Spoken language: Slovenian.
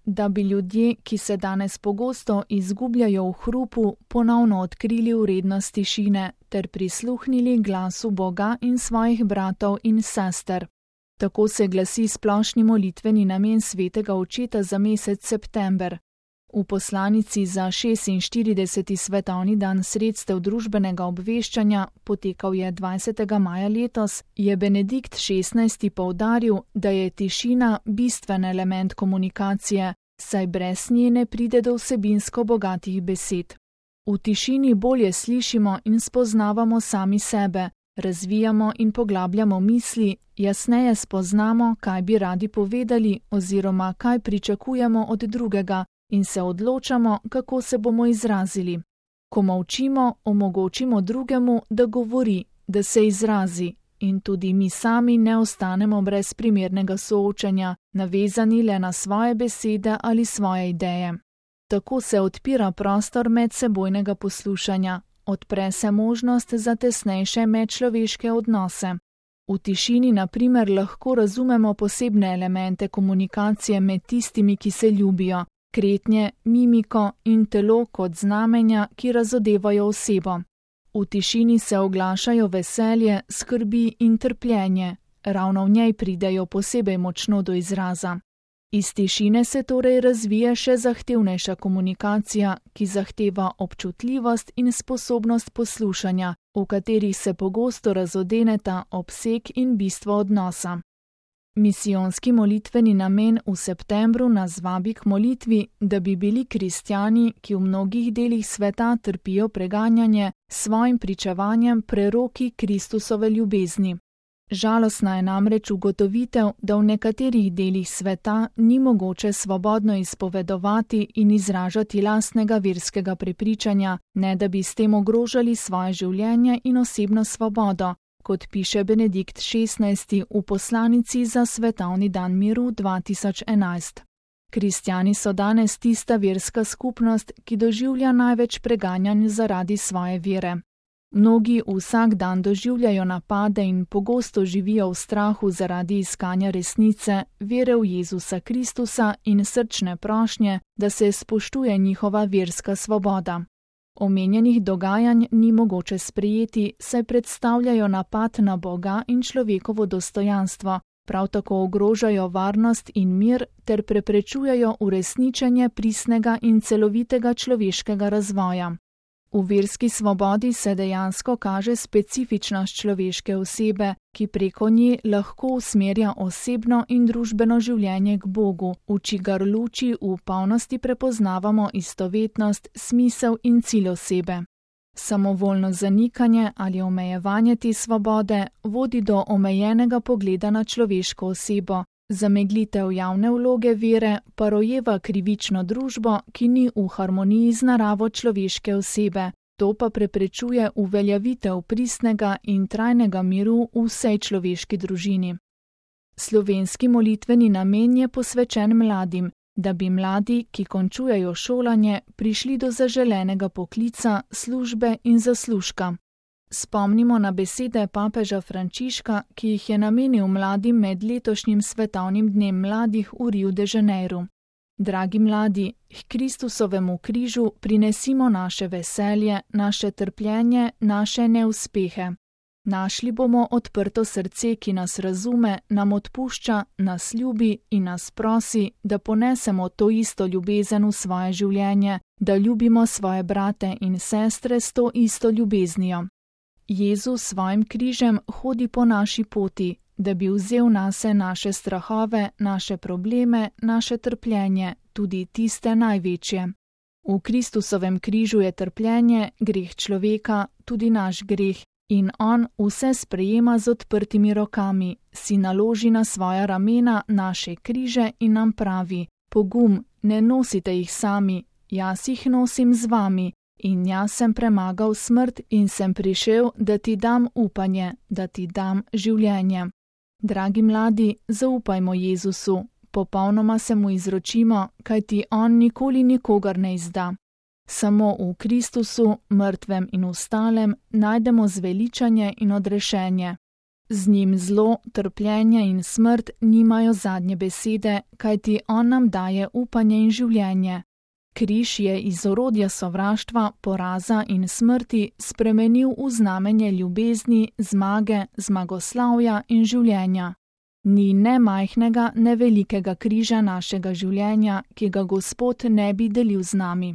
da bi ljudje, ki se danes pogosto izgubljajo v hrupu, ponovno odkrili vrednost tišine ter prisluhnili glasu Boga in svojih bratov in sester. Tako se glasi splošni molitveni namen svetega očeta za mesec september. V poslanici za 46. svetovni dan sredstev družbenega obveščanja, potekal je 20. maja letos, je Benedikt XVI. Poudaril, da je tišina bistven element komunikacije, saj brez nje ne pride do vsebinsko bogatih besed. V tišini bolje slišimo in spoznavamo sami sebe, razvijamo in poglabljamo misli, jasneje spoznamo, kaj bi radi povedali oziroma kaj pričakujemo od drugega, in se odločamo, kako se bomo izrazili. Ko molčimo, omogočimo drugemu, da govori, da se izrazi, in tudi mi sami ne ostanemo brez primernega soočanja, navezani le na svoje besede ali svoje ideje. Tako se odpira prostor medsebojnega poslušanja, odpre se možnost za tesnejše medčloveške odnose. V tišini, na primer, lahko razumemo posebne elemente komunikacije med tistimi, ki se ljubijo, kretnje, mimiko in telo kot znamenja, ki razodevajo osebo. V tišini se oglašajo veselje, skrbi in trpljenje, ravno v njej pridejo posebej močno do izraza. Iz tišine se torej razvije še zahtevnejša komunikacija, ki zahteva občutljivost in sposobnost poslušanja, v katerih se pogosto razodeneta obseg in bistvo odnosa. Misijonski molitveni namen v septembru nas vabi k molitvi, da bi bili kristjani, ki v mnogih delih sveta trpijo preganjanje, s svojim pričevanjem preroki Kristusove ljubezni. Žalostna je namreč ugotovitev, da v nekaterih delih sveta ni mogoče svobodno izpovedovati in izražati lastnega verskega prepričanja, ne da bi s tem ogrožali svoje življenje in osebno svobodo, kot piše Benedikt XVI. V poslanici za svetovni dan miru 2011. Kristjani so danes tista verska skupnost, ki doživlja največ preganjanj zaradi svoje vere. Mnogi vsak dan doživljajo napade in pogosto živijo v strahu zaradi iskanja resnice, vere v Jezusa Kristusa in srčne prošnje, da se spoštuje njihova verska svoboda. Omenjenih dogajanj ni mogoče sprejeti, saj predstavljajo napad na Boga in človekovo dostojanstvo, prav tako ogrožajo varnost in mir ter preprečujejo uresničenje pristnega in celovitega človeškega razvoja. V verski svobodi se dejansko kaže specifičnost človeške osebe, ki preko nje lahko usmerja osebno in družbeno življenje k Bogu, v čigar luči v polnosti prepoznavamo istovetnost, smisel in cilj osebe. Samovoljno zanikanje ali omejevanje te svobode vodi do omejenega pogleda na človeško osebo, zameglitev javne vloge vere pa rojeva krivično družbo, ki ni v harmoniji z naravo človeške osebe, to pa preprečuje uveljavitev pristnega in trajnega miru v vsej človeški družini. Slovenski molitveni namen je posvečen mladim, da bi mladi, ki končujejo šolanje, prišli do zaželenega poklica, službe in zaslužka. Spomnimo na besede papeža Frančiška, ki jih je namenil mladim med letošnjim svetovnim dnem mladih v Riu de Janeiro. Dragi mladi, k Kristusovemu križu prinesimo naše veselje, naše trpljenje, naše neuspehe. Našli bomo odprto srce, ki nas razume, nam odpušča, nas ljubi in nas prosi, da ponesemo to isto ljubezen v svoje življenje, da ljubimo svoje brate in sestre s to isto ljubeznijo. Jezus s svojim križem hodi po naši poti, da bi vzel nase naše strahove, naše probleme, naše trpljenje, tudi tiste največje. V Kristusovem križu je trpljenje, greh človeka, tudi naš greh, in on vse sprejema z odprtimi rokami, si naloži na svoja ramena naše križe in nam pravi: pogum, ne nosite jih sami, jaz jih nosim z vami. In jaz sem premagal smrt in sem prišel, da ti dam upanje, da ti dam življenje. Dragi mladi, zaupajmo Jezusu, popolnoma se mu izročimo, kajti on nikoli nikogar ne izda. Samo v Kristusu, mrtvem in vstalem, najdemo zveličanje in odrešenje. Z njim zlo, trpljenje in smrt nimajo zadnje besede, kajti on nam daje upanje in življenje. Križ je iz orodja sovraštva, poraza in smrti spremenil v znamenje ljubezni, zmage, zmagoslavja in življenja. Ni ne majhnega, ne velikega križa našega življenja, ki ga Gospod ne bi delil z nami.